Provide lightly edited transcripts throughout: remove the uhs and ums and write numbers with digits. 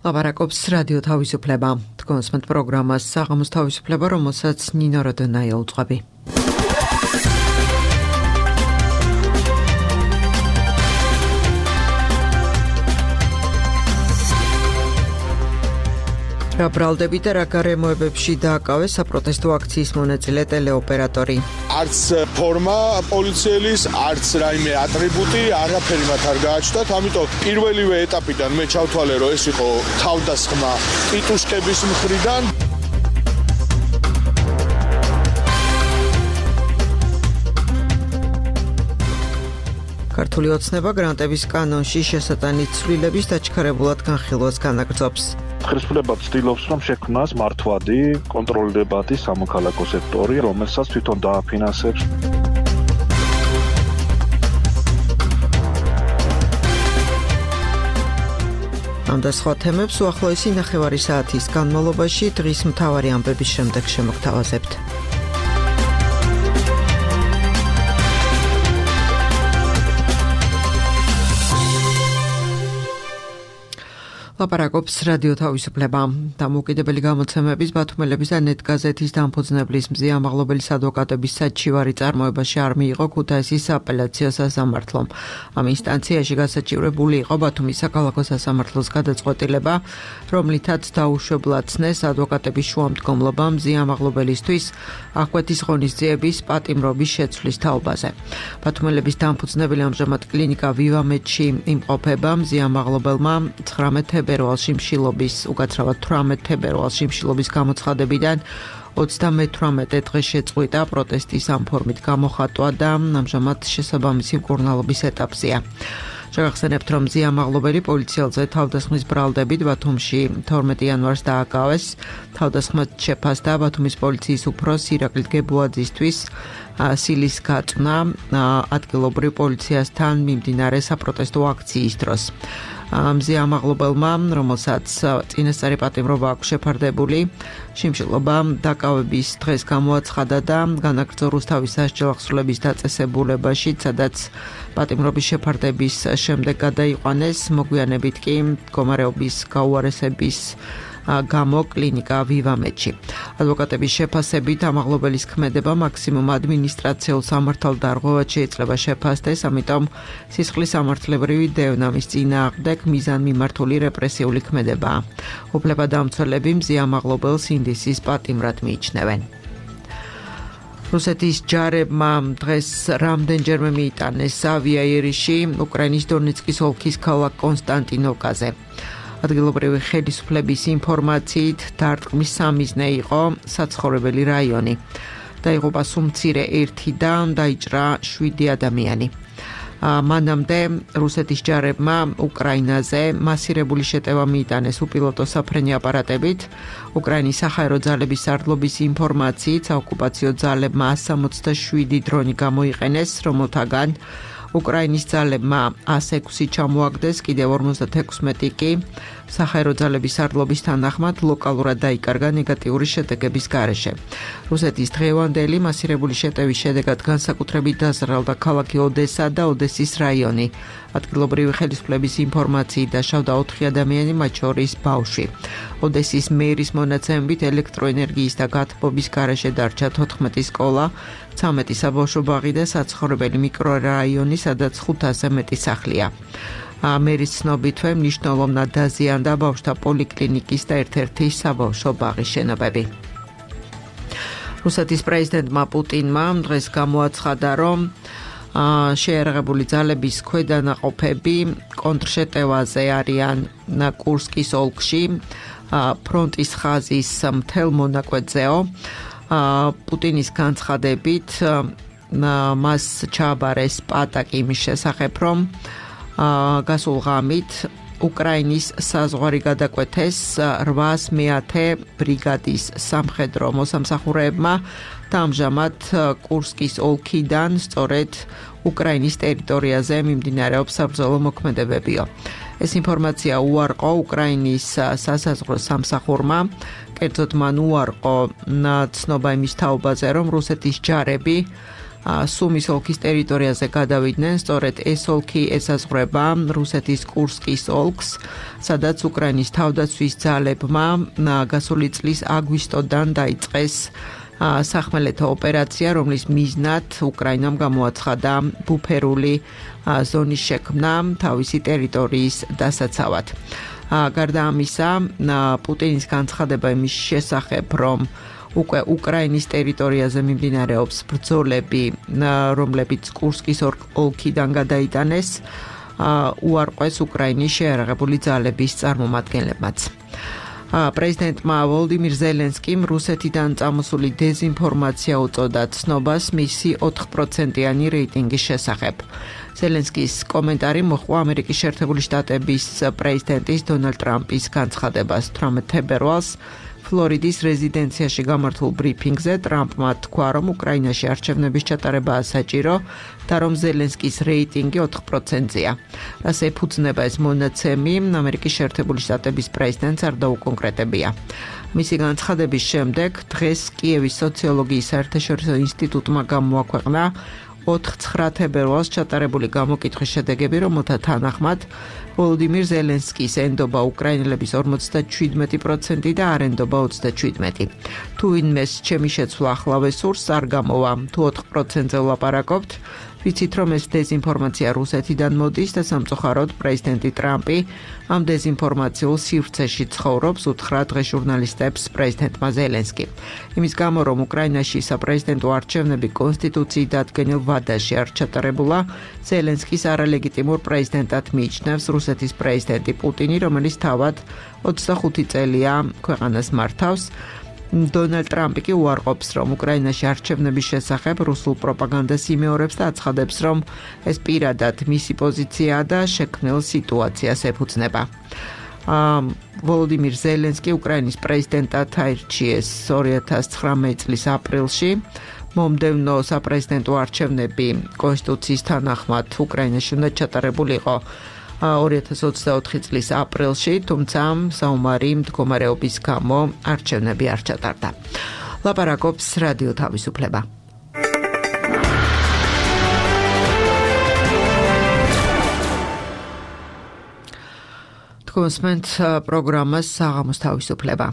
ლაპარაკობს რადიო თავისუფლება. თქვენს პროგრამას საღამოს თავისუფლება, რომელსაც ნინო როდონაია უძღვები. რა ბრალდებით და რა გარემოებებში დააკავეს საპროტესტო აქციის მონაწილე ტელეოპერატორი. არც ფორმა პოლიციელის, არც რაიმე ატრიბუტი, არაფერი მათ არ გააჩნდათ, ამიტომ პირველივე ეტაპიდან მე ჩავთვალე, რომ ეს იყო თავდასხმა ტიტუშკების მხრიდან. ქართული ოცნება გრანტების კანონში შესატანით ცვლილების დაჩქარებულად განხილვას განაგრძობს. ხელისუფლება ცდილობს, რომ შექმნას მართვადი, კონტროლირებადი სამოქალაქო სექტორი, რომელსაც თვითონ დააფინანსებს. ამ და სხვა თემებს უახლოესი ნახევარი საათის განმავლობაში დღის მთავარი ამბების შემდეგ შემოგთავაზებთ. ლაპარაკობს რადიო თავისუფლება. დამოუკიდებელი გამოცემების, ბათუმელების და ნეტგაზეთის დამფუძნებლის მზიამაღლობელის ადვოკატების საჩივარი წარმოებაში არ მიიღო ქუთაისის სააპელაციო სასამართლომ. ამ ინსტანციაში გასაჩივრებული იყო ბათუმის საქალაქო სასამართლოს გადაწყვეტილება, რომლითაც დაუშვებლად-ცნეს ადვოკატების შუამდგომლობა მზიამაღლობელისთვის აღკვეთის ღონისძიების პატიმრობის შეცვლის თაობაზე. ბათუმელების დამფუძნებელი ამჟამად კლინიკა ვივამედში იმყოფება. მზიამაღლობელმა 19 თებერვალში მშილობის, უკაცრავად 18 თებერვალში მშილობის გამოცხადებიდან 38 დღეს შეწყვიტა პროტესტის ამ ფორმით გამოხატვა და ამჟამად შესაბამისი მკურნალობის ეტაპზეა. შეგახსენებთ, რომ მზიამაღლობელი პოლიციელზე თავდასხმის ბრალდებით ბათუმში 12 იანვარს დააკავეს. თავდასხმად შეფასდა ბათუმის პოლიციის უფროს ირაკლი გებუაძისთვის სილის გაწვნა ადგილობრივ პოლიციასთან მიმდინარე საპროტესტო აქციის დროს. მზიამაღლობელმა, რომელსაც წინასწარი პატიმრობა აქვს შეფარდებული, შიმშილობა დაკავების დღეს გამოაცხადა და განაგრძო რუსთავის სასჯელ აღსრულების დაწესებულებაში, სადაც პატიმრობის შეფარდების შემდეგ გადაიყვანეს, მოგვიანებით კი მდგომარეობის გაუარესების გამო კლინიკა ვივამედში. ადვოკატების შეფასებით ამაღლობელის ქმედება მაქსიმუმ ადმინისტრაციულ სამართალდარღვევად შეიძლება შეფასდეს, ამიტომ სისხლის სამართლებრივი დევნა მის წინააღმდეგ მიზანმიმართული რეპრესიული ქმედებაა. უფლებადამცველები მზიამაღლობელს ინდისის პატიმრად მიიჩნევენ. რუსეთის ჯარებმა დღეს რამდენჯერმე მიიტანეს ავიაერიში უკრაინის დონეცკის ოლქის ქალაქ კონსტანტინოვკაზე. ადგილობრივი ხელისუფლების ინფორმაციით დარტყმის სამიზნე იყო საცხოვრებელი რაიონი. დაიღუპა სულ მცირე 1 და დაიჭრა 7 ადამიანი. მანამდე რუსეთის ჯარებმა უკრაინაზე მასირებული შეტევა მიიტანეს უპილოტო საფრენი აპარატებით. უკრაინის საჰაერო ძალების სარდლობის ინფორმაციით საოკუპაციო ძალებმა 167 დრონი გამოიყენეს, რომელთაგან უკრაინის ძალებმა 106 ჩამოაგდეს, კიდევ 56 კი საჰაერო ძალების სარდლობის თანახმად ლოკალურად დაიკარგა ნეგატიური შედეგების გარეშე. რუსეთის დღევანდელი მასირებული შეტევის შედეგად განსაკუთრებით დაზრალდა ქალაქი ოდესა და ოდესის რაიონი. ადგილობრივი ხელისუფლების ინფორმაციით დაშავდა 4 ადამიანი, მათ შორის ბავშვი. ოდესის მერის მონაცემებით ელექტროენერგიის და გათბობის გარეშე დარჩა 14 სკოლა, 13 საბავშვო ბაღი და საცხოვრებელი მიკრორაიონი, სადაც 500-ზე მეტი სახლია. მერის ცნობითვე მნიშვნელოვნად დაზიანდა ბავშვთა პოლიკლინიკის და ერთ-ერთი საბავშვო ბაღის შენობები. რუსეთის პრეზიდენტმა პუტინმა დღეს გამოაცხადა, რომ შეიარაღებული ძალების ქვედანაყოფები კონტრშეტევაზე არიან კურსკის ოლქში, ფრონტის ხაზის მთელ მონაკვეთზეო. პუტინის განცხადებით მას ჩააბარეს პატაკი იმის შესახებ, რომ გასულ ღამით უკრაინის საზღვარი გადაკვეთეს 800 ბრიგადის სამხედრო მოსამსახურეებმა და ამჟამად კურსკის ოლქიდან სწორედ უკრაინის ტერიტორიაზე მიმდინარეობს საბრძოლო მოქმედებებიო. ეს ინფორმაცია უარყო უკრაინის სასაზღვრო სამსახურმა, კერძოდ მან უარყო ცნობა იმის თაობაზე, რომ რუსეთის ჯარები სუმის ოლქის ტერიტორიაზე გადავიდნენ, სწორედ ეს ოლქი ესაზღვრება რუსეთის კურსკის ოლქს, სადაც უკრაინის თავდაცვის ძალებმა გასული წლის აგვისტოდან დაიწყეს სახმელეთო ოპერაცია, რომლის მიზნად უკრაინამ გამოაცხადა ბუფერული ზონის შექმნა თავისი ტერიტორიის დასაცავად. გარდა ამისა, პუტინის განცხადება იმის შესახებ, რომ უკვე უკრაინის ტერიტორიაზე მიმდინარეობს ბრძოლები, რომლებიც კურსკის ოლქიდან გადაიტანეს, უარყვეს უკრაინის შეიარაღებული ძალების წარმომადგენლებმაც. პრეზიდენტმა ვოლოდიმირ ზელენსკიმ რუსეთიდან წამოსული დეზინფორმაცია უწოდა ცნობას მისი 4%-იანი რეიტინგის შესახებ. ზელენსკის კომენტარი მოჰყვა ამერიკის შეერთებული შტატების პრეზიდენტის დონალდ ტრამპის განცხადებას 18 თებერვალს ფლორიდის რეზიდენციაში გამართულ ბრიფინგზე. ტრამპმა თქვა, რომ უკრაინაში არჩევნების ჩატარებაა საჭირო და რომ ზელენსკის რეიტინგი 4%-ია. რას ეფუძნება ეს მონაცემი, ამერიკის შეერთებული შტატების პრეზიდენტს არ დაუკონკრეტებია. მისი განცხადების შემდეგ დღეს კიევის სოციოლოგიის საერთაშორისო ინსტიტუტმა გამოაქვეყნა 4-9 თებერვალს ჩატარებული გამოკითხვის შედეგები, რომელთა თანახმად ვოლოდიმირ ზელენსკის ენდობა უკრაინელების 57% და არ ენდობა 27%. თუ ვინმეს ჩემი შეცვლა ახლავე სურს, არ გამოვა. თუ 4%-ზე ვლაპარაკობთ, ვიცით, რომ ეს დეზინფორმაცია რუსეთიდან მოდის და სამწუხაროდ პრეზიდენტი ტრამპი ამ დეზინფორმაციულ სივრცეში ცხოვრობს, უთხრა დღეს ჟურნალისტებს პრეზიდენტმა ზელენსკიმ. იმის გამო, რომ უკრაინაში საპრეზიდენტო არჩევნები კონსტიტუციით დადგენილ ვადაში არ ჩატარებულა, ზელენსკის არალეგიტიმურ პრეზიდენტად მიიჩნევს რუსეთის პრეზიდენტი პუტინი, რომელიც თავად 25 წელია ქვეყანას მართავს. დონალდ ტრამპი კი უარყოფს, რომ უკრაინაში არჩევნების შესახებ რუსულ პროპაგანდას იმეორებს და აცხადებს, რომ ეს პირადად მისი პოზიციაა და შექმნილ სიტუაციას ეფუძნება. ვოლოდიმირ ზელენსკი უკრაინის პრეზიდენტად აირჩიეს 2019 წლის აპრილში. მომდევნო საპრეზიდენტო არჩევნები კონსტიტუციის თანახმად უკრაინაში უნდა ჩატარებულიყო 2024 წლის აპრილში, თუმცა საომარი მდგომარეობის გამო არჩევნები არ ჩატარდა. ლაპარაკობს რადიო თავისუფლება. თქვენს პროგრამას საღამოს თავისუფლება.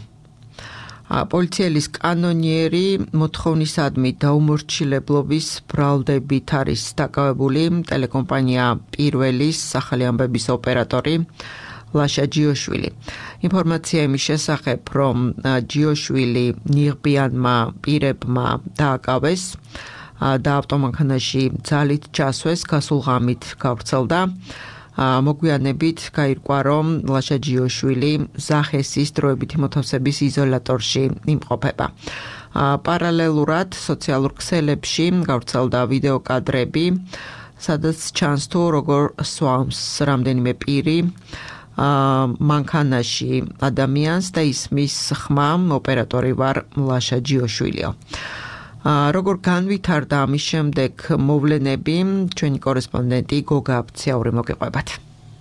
პოლიციელის კანონიერი მოთხოვნისადმი დაუმორჩილებლობის ბრალდებით არის დაკავებული ტელეკომპანია პირველის ახალი ამბების ოპერატორი ლაშა ჯიოშვილი. ინფორმაცია იმის შესახებ, რომ ჯიოშვილი ნიღბიანმა პირებმა დააკავეს და ავტომანქანაში ძალით ჩასვეს, გასულ ღამით გავრცელდა. მოგვიანებით გაირკვა, რომ ლაშა ჯიოშვილი ზახესის დროებითი მოთავსების იზოლატორში იმყოფება. პარალელურად სოციალურ ქსელებში გავრცელდა ვიდეო კადრები, სადაც ჩანს თუ როგორ სვამს რამდენიმე პირი მანქანაში ადამიანს და ისმის ხმა ოპერატორი ვარ ლაშა ჯიოშვილიო. როგორ განვითარდა ამის შემდეგ მოვლენები, ჩვენი კორესპონდენტი გოგა აფციაური მოგეყვებათ.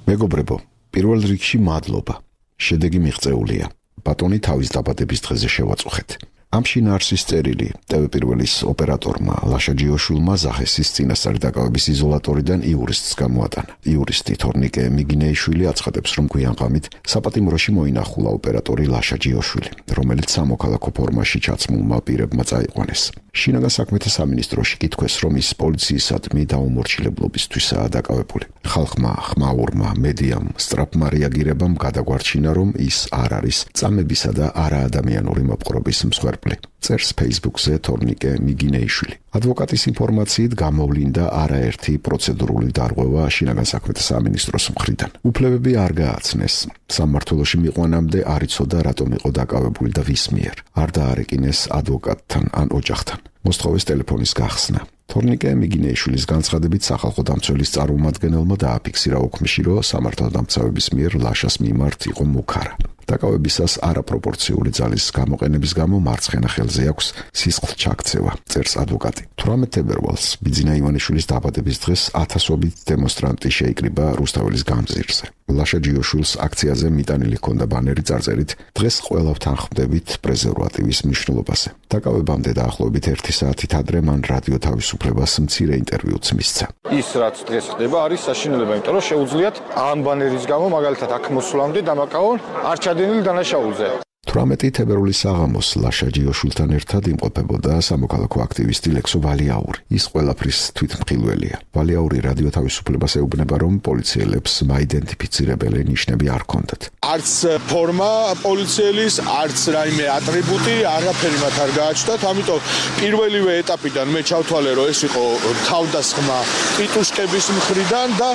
მეგობრებო, პირველ რიგში მადლობა. შედეგი მიღწეულია. ბატონი თავის დაბადების დღეზე შევაწუხეთ. ამ შინაარსის წერილი ტელე-პირველის ოპერატორმა ლაშა ჯიოშვილმა ზახესის წინასწარი დაკავების იზოლატორიდან იურისტს გამოატანა. იურისტი თორნიკე მიგინეიშვილი აცხადებს, რომ გვიანღამით საპატიმროში მოინახულა ოპერატორი ლაშა ჯიოშვილი, რომელიც სამოქალაქო ფორმაში ჩაცმულმა პირებმა წაიყვანეს. შინაგან საქმეთა სამინისტროში კითხვეს, რომ ის პოლიციისადმი დაუმორჩილებლობისთვისაა დაკავებული. ხალხმა, ხმაურმა, მედიამ, სწრაფმა რეაგირებამ გადაგვარჩინა, რომ ის არ არის წამებისა და არაადამიანური მოპყრობის მსხვერპლი. წერს Facebook-ზე თორნიკე მიგინეიშვილი. ადვოკატის ინფორმაციით გამოვლინდა არაერთი პროცედურული დარღვევა შინაგან საქმეთა სამინისტროს მხრიდან. უფლებები არ გააცნეს. სამმართველოში მიყვანამდე არ იცოდა რატომ იყო დაკავებული და ვის მიერ. არ დაარეკინეს ადვოკატთან ან ოჯახთან. მოსთხოვეს ტელეფონის გახსნა. თორნიკე მიგინეიშვილის განცხადებით სახალხო დამცველის წარმომადგენელმა დააფიქსირა ოქმში, რომ სამართალდამცავების მიერ ლაშას მიმართ იყო მუქარა. დაკავებისას არაპროპორციული ძალის გამოყენების გამო მარცხენა ხელზე აქვს სისხლ ჩაქცევა, წერს ადვოკატი. 18 თებერვალს ბიძინა ივანიშვილის დაბადების დღეს ათასობით დემონსტრანტი შეიკრიბა რუსთაველის გამზირზე. ლაშა ჯიოშვილს აქციაზე მიტანილი ჰქონდა ბანერი წარწერით დღეს ყველავთან ხვდებით პრეზერვატივის მნიშვნელობაზე. დაკავებამდე დაახლოებით 1 საათით ადრე მან რადიო თავისუფლებას მცირე ინტერვიუც მისცა. ის რაც დღეს ხდება არის საშინელება, იმიტომ რომ შეუძლიათ ამ ბანერის გამო მაგალითად აქ მოსვლამდე დამაკავონ არ ჩადენილი დანაშაულზე. 18 თებერვლის საღამოს ლაშა ჯიოშვილთან ერთად იმყოფებოდა სამოქალაქო აქტივისტი ლექსო ვალიაური. ის ყველაფრის თვითმხილველია. ვალიაური რადიო თავისუფლებას ეუბნება, რომ პოლიციელებს მაიდენტიფიცირებელი ნიშნები არ ჰქონდათ. არც ფორმა პოლიციელის, არც რაიმე ატრიბუტი არაფერი მათ არ გააჩნდათ, ამიტომ პირველივე ეტაპიდან მე ჩავთვალე, რომ ეს იყო თავდასხმა ტიტუშკების მხრიდან და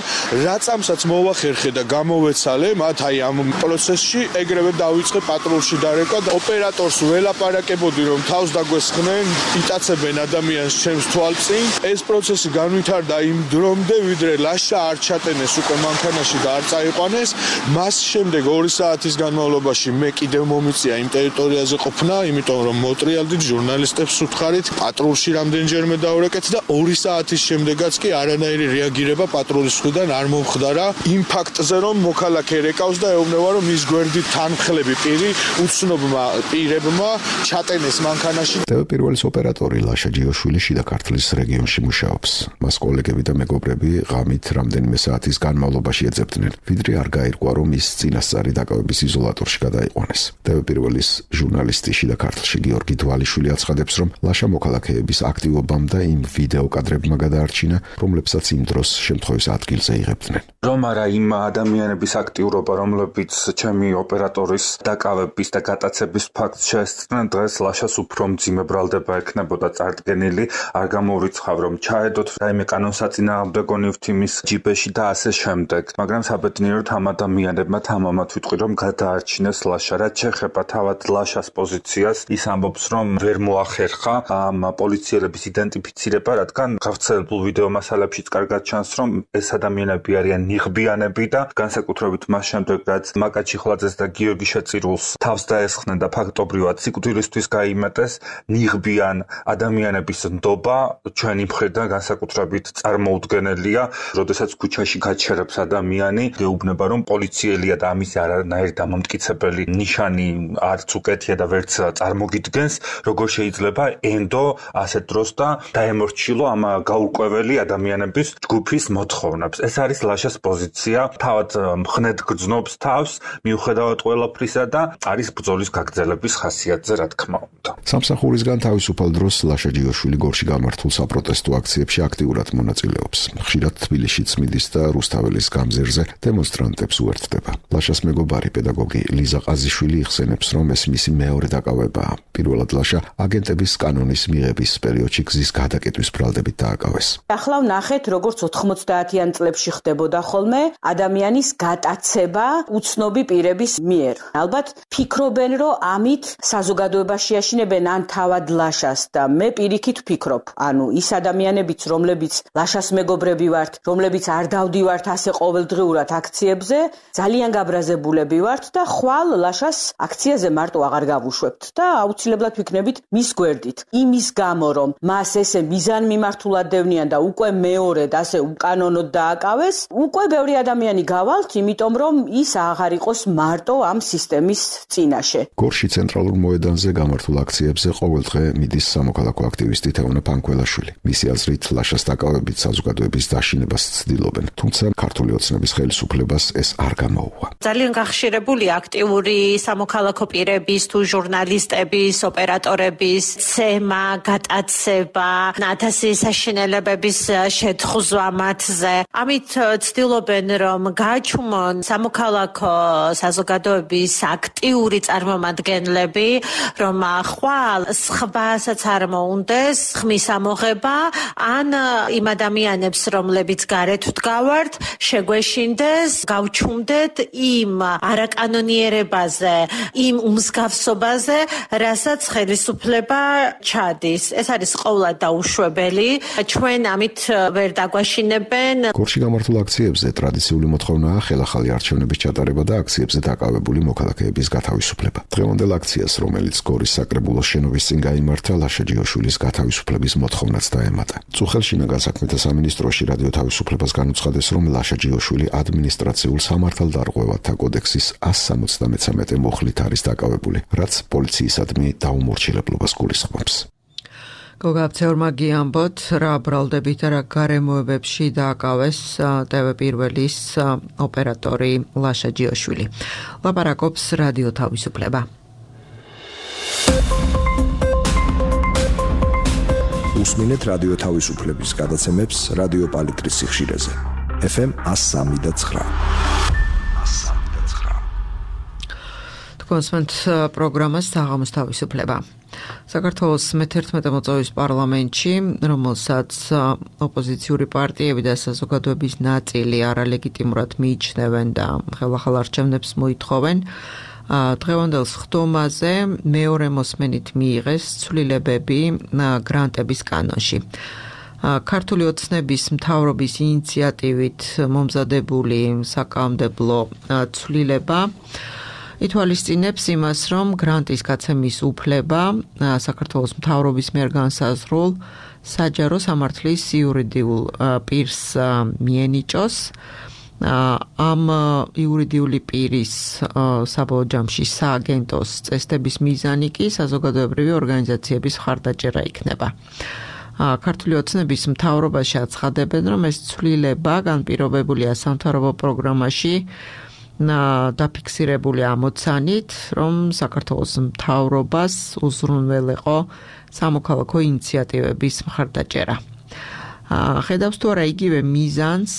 რაცამსაც მოვახერხე და გამოვეცალე მათ აი ამ პროცესში, ეგრევე დავიწყე პატრულში დარეკვა და ოპერატორს ველაპარაკებოდი, რომ თავს დაგვესხნენ, იტაცებენ ადამიანს ჩემს თვალწინ. ეს პროცესი განვითარდა იმ დრომდე, ვიდრე ლაშა არ ჩატენეს უკვე მანქანაში და არ წაიყვანეს. მას შემდეგ 2 საათის განმავლობაში მე კიდევ მომიწია იმ ტერიტორიაზე ყოფნა, იმიტომ რომ მოტრიალდით ჟურნალისტებს უთხარით, პატრულში რამდენჯერმე დავრეკეთ და 2 საათის შემდეგაც კი არანაირი რეაგირება პატრულის მხრიდან არ მომხდარა იმ ფაქტზე, რომ მოქალაქე რეკავს და ეუბნება, რომ მის გვერდით თანმხლები პირი უცნობმა პირებმა ჩატენეს მანქანაში. პირველი ოპერატორი ლაშა ჯიოშვილი შიდა ქართლის რეგიონში მუშაობს. მას კოლეგები და მეგობრები ღამით რამდენიმე საათის განმავლობაში ეძებდნენ, ვიდრე არ გაირკვა, რომ ის წინასწარი დაკავების იზოლატორში გადაიყვანეს. პირველის ჟურნალისტი შიდა ქართლში გიორგი დვალიშვილი აცხადებს, რომ ლაშა მოქალაქეების აქტივობამ და იმ ვიდეო კადრებმა გადაარჩინა, რომლებსაც იმ დროს შემთხვევის ადგილზე იღებდნენ. რომ არა იმ ადამიანების აქტიურობა, რომლებიც ჩემი ოპერატორის დაკავების და გატაცების ფაქტს შეესწრნენ, დღეს ლაშას უფრო მძიმე ბრალდება ექნებოდა წარდგენილი, არ გამოურიცხავ, რომ ჩაედოთ რაიმე კანონსაწინააღმდეგო ნივთი ჯიბეში და ასე შემდეგ. მაგრამ საბედნიეროდ ამ ადამიანებმა თამამად ვიტყვი, რომ გადაარჩინეს ლაშა. რაც შეეხება თავად ლაშას პოზიციას, ის ამბობს, რომ ვერ მოახერხა ამ პოლიციელების იდენტიფიცირება, რადგან გავრცელებულ ვიდეო მასალებშიც კარგად ჩანს, რომ ეს ადამიანები არიან ნიღბიანები და განსაკუთრებით მას შემდეგ, რაც მაკაჩი ხლაძეს და გიორგი შეწირულს თავს დაესხნენ და ფაქტობრივად სიკვდილისთვის გაიმეტეს, ნიღბიან ადამიანების ნდობა ჩვენი მხრიდან განსაკუთრებით წარმოუდგენელია. როდესაც ქუჩაში გაჩერებს ადამიანი, გეუბნება, რომ პოლიციელია და ამის არანაირი დამამტკიცებელი ნიშანი არც უკეთია და ვერც წარმოგიდგენს, როგორ შეიძლება ენდო ასეთ დროს და დაემორჩილო ამ გაურკვეველი ადამიანების ჯგუფის მოთხოვნებს. ეს არის ლაშას პოზიცია, თავად მხნედ გრძნობს თავს, მიუხედავად ყველაფრისა და არის ბრძოლის გაგრძელების ხასიათზე, რა თქმა უნდა. სამსახურისგან თავისუფალ დროს ლაშა ჯიოშვილი გორში გამართულ საპროტესტო აქციებში აქტიურად მონაწილეობს. ხშირად თბილისშიც მიდის და რუსთაველის გამზირზე დემონსტრანტებს უერთდება. ლაშას მეგობარი პედაგოგი ლიზა ყაზიშვილი იხსენებს, რომ ეს მისი მეორე დაკავებაა. პირველად ლაშა აგენტების კანონის მიღების პერიოდში გზის გადაკეტვის ბრალდებით დააკავეს. ახლა ვნახეთ, როგორც 90-იან წლებში ხდებოდა ხოლმე ადამიანის გატაცება უცნობი პირების მიერ. ალბათ ფიქრობენ, რომ ამით საზოგადოებაში აშინებენ ან თავად ლაშას და მე პირიქით ვფიქრობ, ანუ ის ადამიანებიც, რომლებიც ლაშას მეგობრები ვართ, რომლებიც არ დავდივართ ასე ყოველდღიურად აქციებზე, ძალიან გაბრაზებულები ვართ და ხვალ ლაშას აქციაზე მარტო აღარ გავუშვებთ და აუცილებლად ვიქნებით მის გვერდით. იმის გამო, რომ მას ესე მიზანმიმართულად დევნიან და უკვე მეორედ ასე უკანონოდ დააკავეს, უკვე ბევრი ადამიანი გავალთ, იმიტომ რომ ის აღარ იყოს მარტო ამ სისტემის წინაშე. გორში ცენტრალურ მოედანზე გამართულ აქციებზე ყოველდღე მიდის სამოქალაქო აქტივისტი თეონა პანკველაშვილი. მისი აზრით, ლაშას დაკავებით საზოგადოების დაშინებას ცდილობენ, თუმცა ქართული ოცნების ხელისუფლებას ეს არ გამოუვა. ძალიან გახშირებული აქტიური სამოქალაქო პირების თუ ჟურნალისტების, ოპერატორების ცემა, გატაცება, ათასი საშინელებების შეთხზვა მათზე. ამით ცდილობენ, რომ გააჩუმონ სამოქალაქო საზოგადოების აქტიური ქართული წარმომადგენლები, რომ ხვალ სხვასაც არ მოუნდეს ხმის ამოღება, ან იმ ადამიანებს, რომლებიც გარეთ ვდგავართ, შეგვეშინდეს, გავჩუმდეთ იმ არაკანონიერებაზე, იმ უმსგავსობაზე, რასაც ხელისუფლება ჩადის. ეს არის ყოვლად დაუშვებელი. ჩვენ ამით ვერ დაგვაშინებენ. გორში გამართულ აქციებზე ტრადიციული მოთხოვნაა ხელახალი არჩევნების ჩატარება და აქციებზე დაკავებული მოქალაქეების გათავისუფლება. დღევანდელ აქციას, რომელიც გორის საკრებულოს შენობის წინ გაიმართა, ლაშა ჯიოშვილის გათავისუფლების მოთხოვნაც დაემატა. წუხელშინაგან საქმეთა სამინისტროში რადიო თავისუფლებას განუცხადეს, რომ ლაშა ჯიოშვილი ადმინისტრაციულ სამართალდარღვევათა კოდექსის 173 მუხლით არის დაკავებული, რაც პოლიციისადმი დაუმორჩილებლობას გულისხმობს. გოგაბცეურმა გიამბოთ, რა ბრალდებით და რა გარემოებებში დააკავეს ტევ1-ის ოპერატორი ლაშა ჯიოშვილი. ლაპარაკობს რადიო თავისუფლება. უსმინეთ რადიო თავისუფლების გადაცემებს რადიო პალიტრის სიხშირეზე. FM 103.9. კონსვენთ პროგრამას საღამოს თავისუფლება. საქართველოს მე-11 მოწვევის პარლამენტში, რომელსაც ოპოზიციური პარტიები და საზოგადოების ნაწილი არალეგიტიმურად მიიჩნევენ და ხელახალ არჩევნებს მოითხოვენ, დღევანდელ სხდომაზე მეორე მოსმენით მიიღეს ცვლილებები გრანტების კანონში. ქართული ოცნების მთავრობის ინიციატივით მომზადებული საკანონმდებლო ცვლილება ითვალისწინებს იმას, რომ გრანტის გაცემის უფლება საქართველოს მთავრობის მიერ განსაზღვრულ საჯარო სამართლის იურიდიულ პირს მიენიჭოს. ამ იურიდიული პირის საბოლოო ჯამში სააგენტოს წესდების მიზანი კი საზოგადოებრივი ორგანიზაციების მხარდაჭერა იქნება. ქართული ოცნების მთავრობაში აცხადებენ, რომ ეს ცვლილება განპირობებულია სამთავრობო პროგრამაში დაფიქსირებული ამოცანით, რომ საქართველოს მთავრობას უზრუნველეყო სამოქალაქო ინიციატივების მხარდაჭერა. ხედავს თუ არა იგივე მიზანს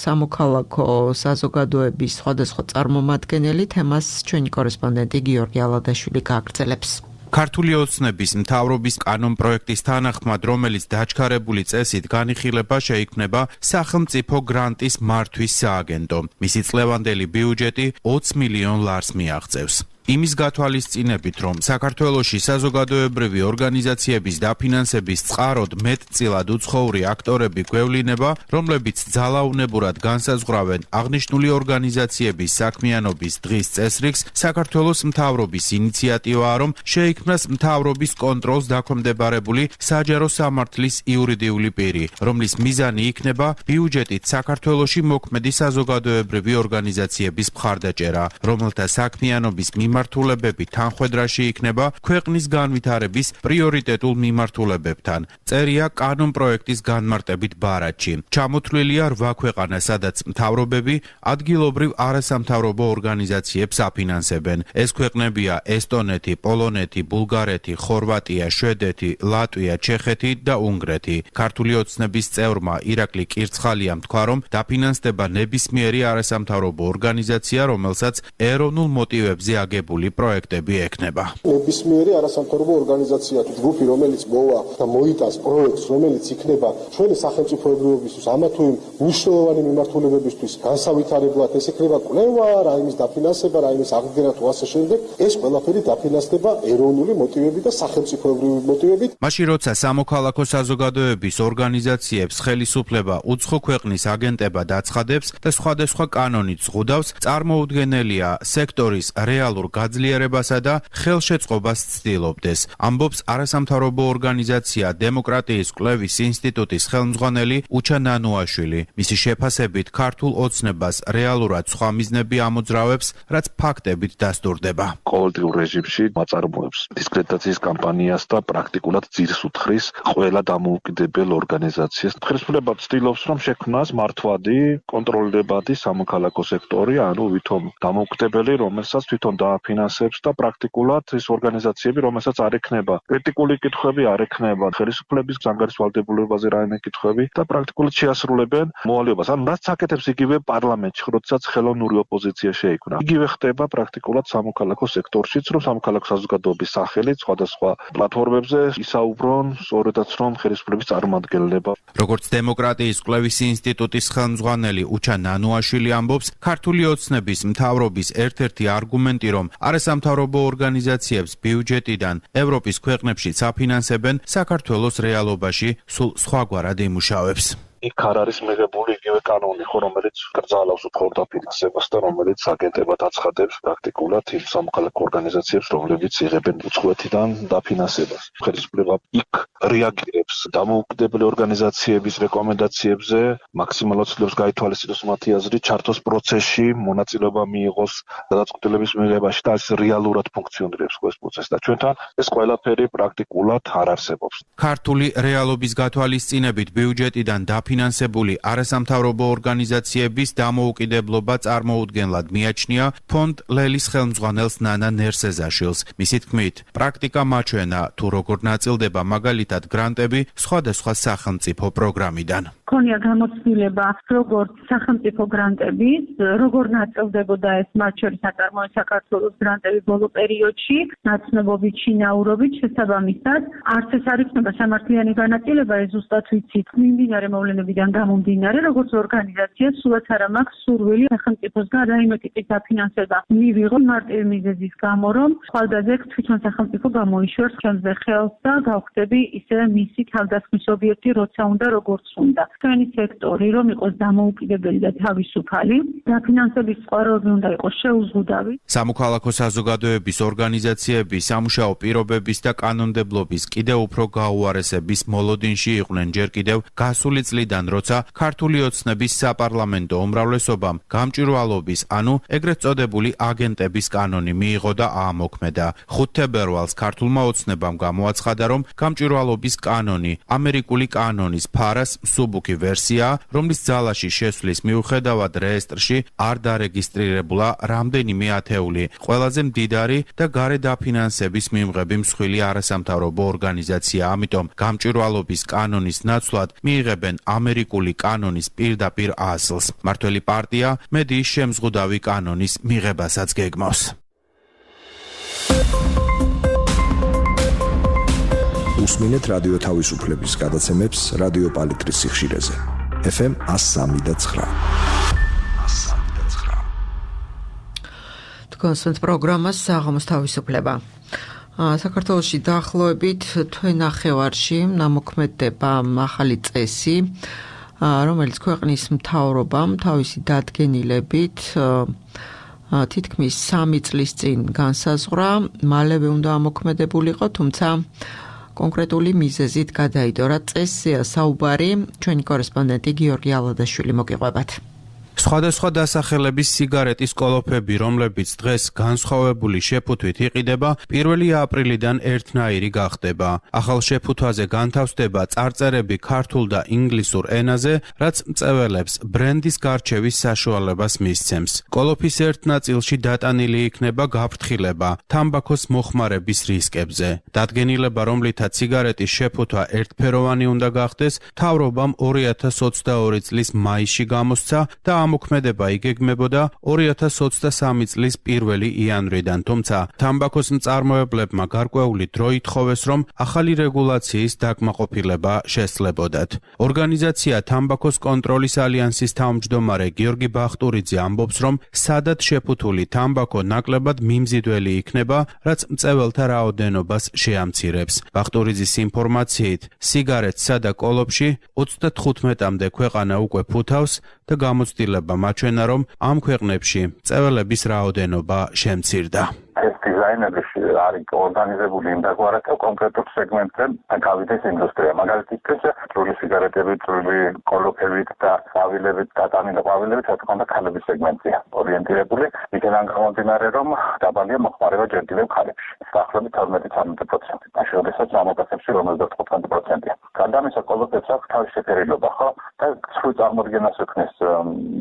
სამოქალაქო საზოგადოების სხვადასხვა წარმომადგენელი, თემას ჩვენი კორესპონდენტი გიორგი ალადაშვილი გააგრძელებს. ქართული ოცნების მთავრობის კანონპროექტის თანახმად, რომელიც დაჩქარებული წესით განიხილება, შეიქმნება სახელმწიფო გრანტის მართვის სააგენტო. მისი წლევანდელი ბიუჯეტი 20 მილიონ ლარს მიაღწევს. იმის გათვალისწინებით, რომ საქართველოში საზოგადოებრივი ორგანიზაციების დაფინანსების წყაროდ მეტწილად უცხოური აქტორები გვევლინება, რომლებიც ძალაუნებურად განსაზღვრავენ აღნიშნული ორგანიზაციების საქმიანობის დღის წესრიგს, საქართველოს მთავრობის ინიციატივაა, რომ შეიქმნას მთავრობის კონტროლს დაქვემდებარებული საჯარო სამართლის იურიდიული პირი, რომლის მიზანი იქნება ბიუჯეტით საქართველოში მოქმედი საზოგადოებრივი ორგანიზაციების მხარდაჭერა, რომელთა საქმიანობის მიმართულებები თანხვედრაში იქნება ქვეყნის განვითარების პრიორიტეტულ მიმართულებებთან. წერია კანონპროექტის განმარტებით ბარათში. ჩამოთვლილია 8 ქვეყანა, სადაც მთავრობები ადგილობრივ არასამთავრობო ორგანიზაციებს აფინანსებენ. ეს ქვეყნებია ესტონეთი, პოლონეთი, ბულგარეთი, ხორვატია, შვედეთი, ლატვია, ჩეხეთი და უნგრეთი. ქართული ოცნების წევრმა ირაკლი კირცხალიამ თქვა, რომ დაფინანსდება ნებისმიერი არასამთავრობო ორგანიზაცია, რომელსაც ეროვნულ მოტივებზე აგებული პროექტები ექნება. ნებისმიერი არასამთავრობო ორგანიზაცია თუ ჯგუფი, რომელიც მოვა და მოიტანს პროექტს, რომელიც იქნება ჩვენი სახელმწიფოებრიობისთვის, ამა თუ იმ მნიშვნელოვანი მიმართულებებისთვის განსავითარებლად, ეს იქნება კვლევა, რაიმის დაფინანსება, რაიმის აღდგენა თუ ასე შემდეგ, ეს ყველაფერი დაფინანსდება ეროვნული მოტივებით და სახელმწიფოებრივი მოტივებით. მაშინ როცა სამოქალაქო საზოგადოების ორგანიზაციებს ხელისუფლება უცხო ქვეყნის აგენტებად აცხადებს და სხვადასხვა კანონით ზღუდავს, წარმოუდგენელია სექტორის რეალურ გაძლიერებასა და ხელშეწყობას ცდილობდეს. ამბობს არასამთავრობო ორგანიზაცია დემოკრატიის კვლევის ინსტიტუტის ხელმძღვანელი უჩა ნანუაშვილი. მისი შეფასებით ქართულ ოცნებას რეალურად სხვა მიზნები ამოძრავებს, რაც ფაქტებით დასტურდება. ყოველდღიურ რეჟიმში მაწარმოებს დისკრედიტაციის კამპანიას და პრაქტიკულად ძირს უთხრის ყველა დამოუკიდებელ ორგანიზაციას. ხელისუფლება ცდილობს, რომ შექმნას მართვადი, კონტროლირებადი სამოქალაქო სექტორი, ანუ ვითომ დამოუკიდებელი, რომელსაც თვითონ დაფინანსებს და პრაქტიკულად ის ორგანიზაციები, რომელსაც არ ექნება ეტიკური კითხვები, არ ექნება ხელისუფლების ზანგარის ვალდებულებაზე რაიმე კითხვები და პრაქტიკულად შეასრულებენ მოვალეობას. ან რაც აკეთებს იგივე პარლამენტში, როდესაც ხელოვნური ოპოზიცია შეიქმნა. იგივე ხდება პრაქტიკულად სამოქალაქო სექტორშიც, რომ სამოქალაქო საზოგადოების სახელით სხვადასხვა პლატფორმებზე ისაუბრონ სწორედაც რომ ხელისუფლების წარმომადგენლება. როგორც დემოკრატიის კვლევის ინსტიტუტის ხელმძღვანელი უჩა ნანუაშვილი ამბობს, ქართული ოცნების მთავრობის ერთ-ერთი არგუმენტი, რომ არასამთავრობო ორგანიზაციებს ბიუჯეტიდან ევროპის ქვეყნებშიც აფინანსებენ, საქართველოს რეალობაში სულ სხვაგვარად იმუშავებს. იქ არ არის მიღებული იგივე კანონი, რომელიც კრძალავს უფრო დაფინანსებას და რომელიც აგენტებად აცხადებს პრაქტიკულად იმ სამოქალაქო ორგანიზაციებს, რომლებიც იღებენ უცხოეთიდან დაფინანსებას. ხელისუფლება იქ რეაგირებს დამოუკიდებელი ორგანიზაციების რეკომენდაციებზე, მაქსიმალურად ცდილობს გაითვალისწინოს მათი აზრი, ჩართოს პროცესში, მონაწილეობა მიიღოს გადაწყვეტილების მიღებაში და ეს რეალურად ფუნქციონირებს ეს პროცესი და ჩვენთან ეს ყველაფერი პრაქტიკულად არ არსებობს. ქართული რეალობის გათვალისწინებით ბიუჯეტიდან დაფინანსებული არასამთავრობო ორგანიზაციების დამოუკიდებლობა წარმოუდგენლად მიაჩნია ფონდ ლელის ხელმძღვანელს ნანა ნერსეზაშვილს. მისი თქმით, პრაქტიკა მაჩვენა თუ როგორ ნაწილდება მაგალითად გრანტები სხვადასხვა სახელმწიფო პროგრამიდან. ქონია გამოცდილება როგორც სახელმწიფო გრანტების, როგორ ნაწილდებოდა ეს მათ შორის აწარმოებს საქართველოს გრანტები ბოლო პერიოდში, ნაცნობობით, შინაურობით, შესაბამისად, არც ეს არ იქნება სამართლიანი განაწილება, ეს ზუსტად ვიცით, მიმდინარე მოვლენებიდან გამომდინარე, როგორც ორგანიზაცია, სულაც არა მაქვს სურვილი სახელმწიფოსგან რაიმე ტიპის დაფინანსება მივიღო მარტივი მიზეზის გამო, რომ ხვალდაზე თვითონ სახელმწიფო გამოიშვერს ჩვენზე ხელს და გავხდები ისე მისი თავდასხმის ობიექტი, როცა უნდა, როგორც უნდა. ჩვენი სექტორი რომ იყოს დამოუკიდებელი და თავისუფალი, დაფინანსების წყაროები უნდა იყოს შეუზღუდავი. სამოქალაქო საზოგადოების ორგანიზაციები სამუშაო პირობების და კანონმდებლობის კიდევ უფრო გაუარესების მოლოდინში იყვნენ ჯერ კიდევ გასული წლიდან, როცა ქართული ოცნების საპარლამენტო უმრავლესობამ გამჭვირვალობის, ანუ ეგრეთ წოდებული აგენტების კანონი მიიღო და აამოქმედა. 5 თებერვალს ქართულმა ოცნებამ გამოაცხადა, რომ გამჭვირვალობის კანონი ამერიკული კანონის ფარას მსუბუქი ვერსია, რომლის ძალაში შესვლის მიუხედავად რეესტრში არ დარეგისტრირებულა რამდენიმე ათეული ყველაზე მდიდარი და გარე დაფინანსების მიმღები მსხვილი არასამთავრობო ორგანიზაცია. ამიტომ გამჭვირვალობის კანონის ნაცვლად მიიღებენ ამერიკული კანონის პირდაპირ ასლს. მართველი პარტია მედიის შემზღუდავი კანონის მიღებასაც გეგმავს. უსმინეთ რადიო თავისუფლების გადაცემებს რადიო პალიტრის სიხშირეზე. FM 103.9. თქვენს პროგრამას საღამოს თავისუფლება. საქართველოში დაახლოებით თვენახევარში ნამოქმედდება ახალი წესი, რომელიც ქვეყნის მთავრობამ თავისი დადგენილებით თითქმის 3 წლის წინ განსაზღვრა, მალევე უნდა ამოქმედებულიყო, თუმცა კონკრეტული მიზეზით გადაიდო. წესზეა საუბარი, ჩვენი კორესპონდენტი გიორგი ალადაშვილი მოგიყვებათ. სხვადასხვა დასახელების სიგარეტის კოლოფები, რომლებიც დღეს განსხვავებული შეფუთვით იყიდება, 1 აპრილიდან ერთნაირი გახდება. ახალ შეფუთვაზე განთავსდება წარწერები ქართულ და ინგლისურ ენაზე, რაც მწველებს ბრენდის გარჩევის საშუალებას მისცემს. კოლოფის ერთ ნაწილში დატანილი იქნება გაფრთხილება თამბაქოს მოხმარების რისკებზე. დადგენილება, რომლითაც სიგარეტის შეფუთვა ერთფეროვანი უნდა გახდეს, მთავრობამ 2022 წლის მაისში გამოსცა და ამოქმედება იგეგმებოდა 2023 წლის 1 იანვრიდან, თუმცა თამბაქოს მწარმოებლებმა გარკვეული დრო ითხოვეს, რომ ახალი რეგულაციის დაკმაყოფილება შესწლებოდათ. ორგანიზაცია თამბაქოს კონტროლის ალიანსის თავმჯდომარე გიორგი ბახტურიძე ამბობს, რომ სადად შეფუთული თამბაქო ნაკლებად მიმზიდველი იქნება, რაც მწეველთა რაოდენობას შეამცირებს. ბახტურიძის ინფორმაციით, სიგარეტსა და კოლოფში 35-მდე ქვეყანა უკვე ფუთავს და გამოცდილება მაჩვენა, რომ ამ ქვეყნებში მწეველების რაოდენობა შემცირდა. ეს დიზაინები არის ორგანიზებული იმ დაგვარად კონკრეტულ სეგმენტზე გავიდეს ინდუსტრია. მაგალითად, წვრილი სიგარეტებით, წვრილი კოლოფებით და ყვავილებით, დატანილი ყვავილებით, რა თქმა უნდა, ქალების სეგმენტია ორიენტირებული. იქიდან გამომდინარე, რომ დაბალია მოხმარება ჯერ კიდევ ქალებში. დაახლოებით 12-13%. მაშინ როდესაც ამოკაცებში 55%-ია. გადამისა კოლოფებს აქვს თავისი შეფერილობა, ხო? და სრულ წარმოდგენას ექნეს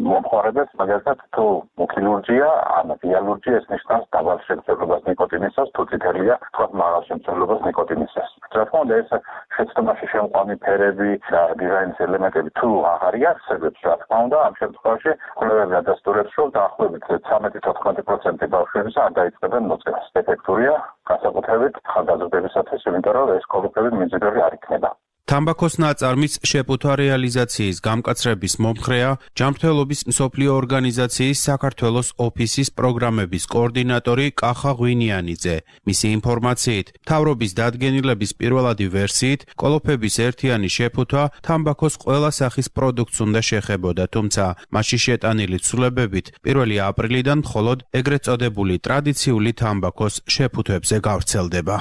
მომხმარებელს, მაგალითად, თუ მუქი ლურჯია, ან ღია ლურჯია, ეს ნიშნავს დაბალ შემცველობას ნიკოტინისას, თუ წითელია, თქვა მაღალ შემცველობას ნიკოტინისას. რა თქმა უნდა, ეს შეცდომაში შემყვანი ფერები და დიზაინის ელემენტები თუ აღარ იარსებებს, რა თქმა უნდა, ამ შემთხვევაში კვლევები ადასტურებს, რომ დაახლოებით 13-14% ბავშვებისა არ დაიწყებენ მოწევას. ეფექტურია განსაკუთრებით ხარდაზრდებისათვის, იმიტომ რომ ეს კოლოფები მიმზიდველი არ იქნება. თამბაქოს ნაწარმის შეფუთვა რეალიზაციის გამკაცრების მომხრეა ჯანმრთელობის მსოფლიო ორგანიზაციის საქართველოს ოფისის პროგრამების კოორდინატორი კახა ღვინიანიძე. მისი ინფორმაციით, მთავრობის დადგენილების პირველადი ვერსიით, კოლოფების ერთიანი შეფუთვა თამბაქოს ყველა სახის პროდუქტს უნდა შეხებოდა, თუმცა მასში შეტანილი ცვლილებებით 1 აპრილიდან მხოლოდ ეგრეთ წოდებული ტრადიციული თამბაქოს შეფუთვებზე გავრცელდება.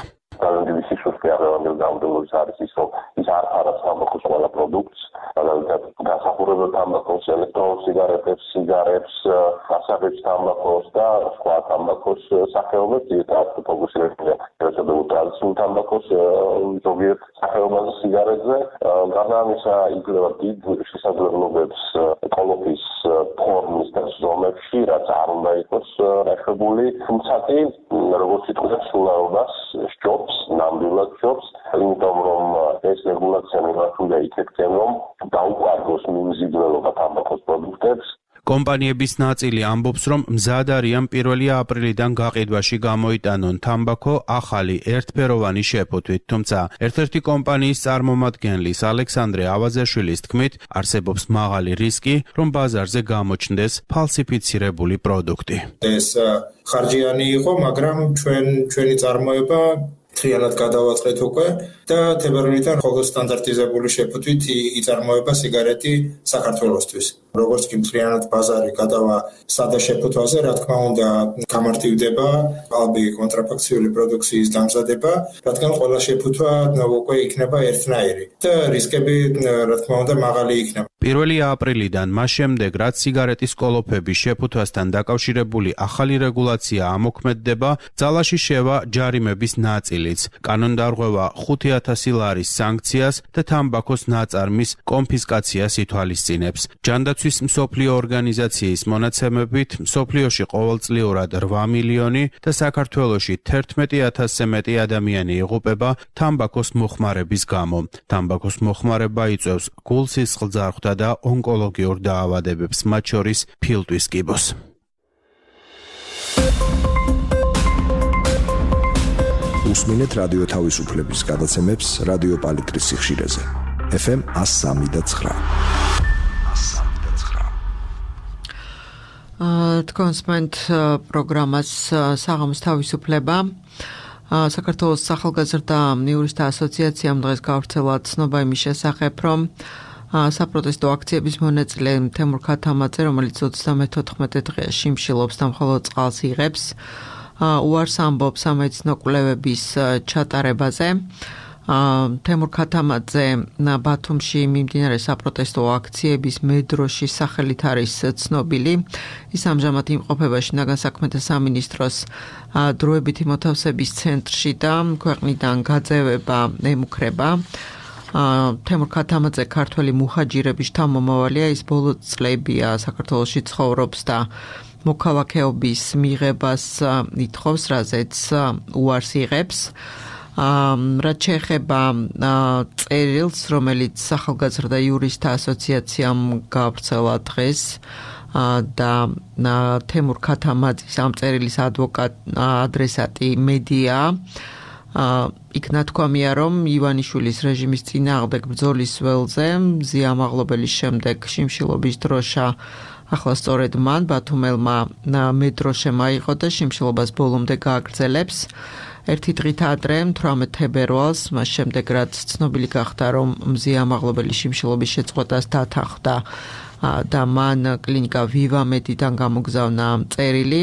ის არ არის თამბაქოს ყველა პროდუქტს, განსახურებელ თამბაქოს, ელექტრონულ სიგარეტებს, სიგარებს, გასაღებს თამბაქოს და სხვა თამბაქოს სახეობებს ძირითადად ფოკუსირებულია ტრადიციულ თამბაქოს ზოგიერთ სახეობაზე სიგარეტზე. გარდა ამისა, იძლევა დიდ შესაძლებლობებს კოლოფის ფორმის და ზომებში, რაც არ უნდა იყოს რახებული, თუმცა კი როგორც ვიტყვით, სულაობას სჯობს, ნამდვილად სჯობს, იმიტომ რომ ეს რეგულაცია მიმართულია იქეთკენ, რომ დაუყარგოს მიმზიდველობა თამბაქოს პროდუქტებს. კომპანიების ნაწილი ამბობს, რომ მზად არიან 1 აპრილიდან გაყიდვაში გამოიტანონ თამბაქო ახალი ერთფეროვანი შეფუთვით, თუმცა ერთ-ერთი კომპანიის წარმომადგენლის ალექსანდრე ავაზაშვილის თქმით, არსებობს მაღალი რისკი, რომ ბაზარზე გამოჩნდეს ფალსიფიცირებული პროდუქტი. ეს ხარჯიანი იყო, მაგრამ ჩვენი წარმოება მთლიანად გადავაწყეთ უკვე და თებერვლიდან ხოლმე სტანდარტიზებული შეფუთვით იწარმოება სიგარეტი საქართველოსთვის. როგორც კი მთლიანად ბაზარი გადავა სადა შეფუთვაზე, რა თქმა უნდა, გამარტივდება ალბი კონტრაფაქციული პროდუქციის დამზადება, რადგან ყველა შეფუთვა უკვე იქნება ერთნაირი და რისკები, რა თქმა უნდა, მაღალი იქნება. 1 აპრილიდან მას შემდეგ, რაც სიგარეტის კოლოფების შეფუთვასთან დაკავშირებული ახალი რეგულაცია ამოქმედდება, ძალაში შევა ჯარიმების ნაწილიც. კანონდარღვევა 5,000 ლარის სანქციას და თამბაქოს ნაწარმის კონფისკაციას ითვალისწინებს. ჯანდაცვის მსოფლიო ორგანიზაციის მონაცემებით, მსოფლიოში ყოველწლიურად 8 მილიონი და საქართველოში 11,000-ზე მეტი ადამიანი იღუპება თამბაქოს მოხმარების გამო. თამბაქოს მოხმარება იწვევს გულ-სისხლძარღვთა და ონკოლოგიურ დაავადებებს, მათ შორის ფილტვის კიბოს. უსმინეთ რადიო თავისუფლების გადაცემებს რადიო პალიტრის სიხშირეზე. FM 103.9. თქვენსმენთ პროგრამას საღამოს თავისუფლება. საქართველოს ახალგაზრდა იურისტთა ასოციაციამ დღეს გავრცელა ცნობა იმის შესახებ, რომ საპროტესტო აქციების მონაწილე თემურ ქათამაძე, რომელიც 34 დღეა შიმშილობს და მხოლოდ წყალს იღებს, უარს ამბობს სამედიცინო კვლევების ჩატარებაზე. თემურ ქათამაძე ბათუმში მიმდინარე საპროტესტო აქციების მედროში სახელით არის ცნობილი. ის ამჟამად იმყოფება შინაგან საქმეთა სამინისტროს დროებითი მოთავსების ცენტრში და ქვეყნიდან გაძევება ემუქრება. თემურ ქათამაძე ქართველი მუჰაჯირების შთამომავალია, ის ბოლო წლებია საქართველოში ცხოვრობს და მოქალაქეობის მიღებას ითხოვს, რაზეც უარს იღებს. რაც შეეხება წერილს, რომელიც ახალგაზრდა იურისტთა ასოციაციამ გავრცელა დღეს და თემურ ქათამაძის ამ წერილის ადრესატი მედია, იქ ნათქვამია, რომ ივანიშვილის რეჟიმის წინააღმდეგ ბრძოლის ველზე ზიამაღლობელის შემდეგ შიმშილობის დროშა ახლა სწორედ მან ბათუმელმა მეტრო შემაიღო და შიმშილობას ბოლომდე გააგრძელებს. ერთი დღით ადრე 18 თებერვალს, მას შემდეგ რაც ცნობილი გახდა, რომ მზიამაღლობელი შიმშილობის შეწყვეტას დათანხმდა და მან კლინიკა ვივამედიდან გამოგზავნა წერილი.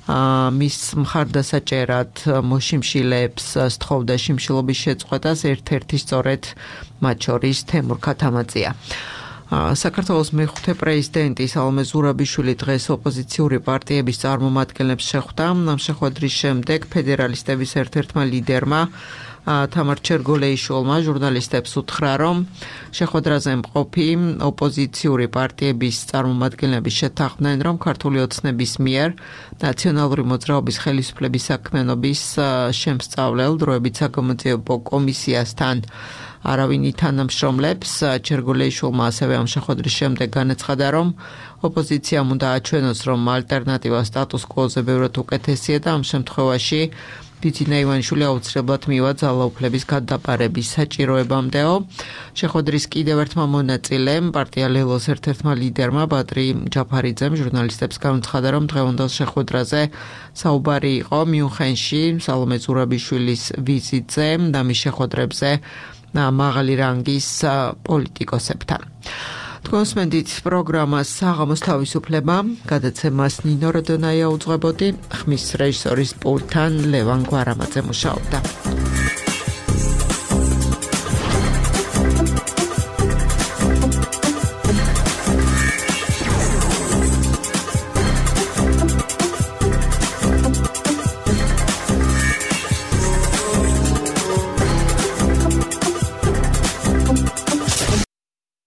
მის მხარდასაჭერად მოშიმშილეებს სთხოვდა შიმშილობის შეწყვეტას, ერთ-ერთი სწორედ მათ შორის თემურ ქათამაძეა. საქართველოს მეხუთე პრეზიდენტი სალომე ზურაბიშვილი დღეს ოპოზიციური პარტიების წარმომადგენლებს შეხვდა. ამ შეხვედრის შემდეგ ფედერალისტების ერთ-ერთმა ლიდერმა თამარ ჩერგოლეიშვილმა ჟურნალისტებს უთხრა, რომ შეხვედრაზე მყოფი ოპოზიციური პარტიების წარმომადგენლები შეთანხმდნენ, რომ ქართული ოცნების მიერ ნაციონალური მოძრაობის ხელისუფლების საქმიანობის შემსწავლელ დროებით საგამოძიებო კომისიასთან არავინ ითანამშრომლებს. ჩერგოლეიშვილმა ასევე ამ შეხვედრის შემდეგ განაცხადა, რომ ოპოზიციამ უნდა აჩვენოს, რომ ალტერნატივა სტატუს კვოზე ბევრად უკეთესია და ამ შემთხვევაში ბიძინა ივანიშვილი აუცილებლად მივა ძალაუფლების გადაბარების საჭიროებამდეო. შეხვედრის კიდევ ერთმა მონაწილემ, პარტია ლელოს ერთ-ერთმა ლიდერმა ბადრი ჯაფარიძემ ჟურნალისტებს განაცხადა, რომ დღევანდელ შეხვედრაზე საუბარი იყო მიუნხენში სალომე ზურაბიშვილის ვიზიტზე და მის შეხვედრებზე მაღალი რანგის პოლიტიკოსებთან. თქვენსმენდით პროგრამას საღამოს თავისუფლება, გადაცემას ნინო როდონაია უძღვებოდი, ხმის რეჟისორის პულტთან ლევან გვარამაძე მუშაობდა.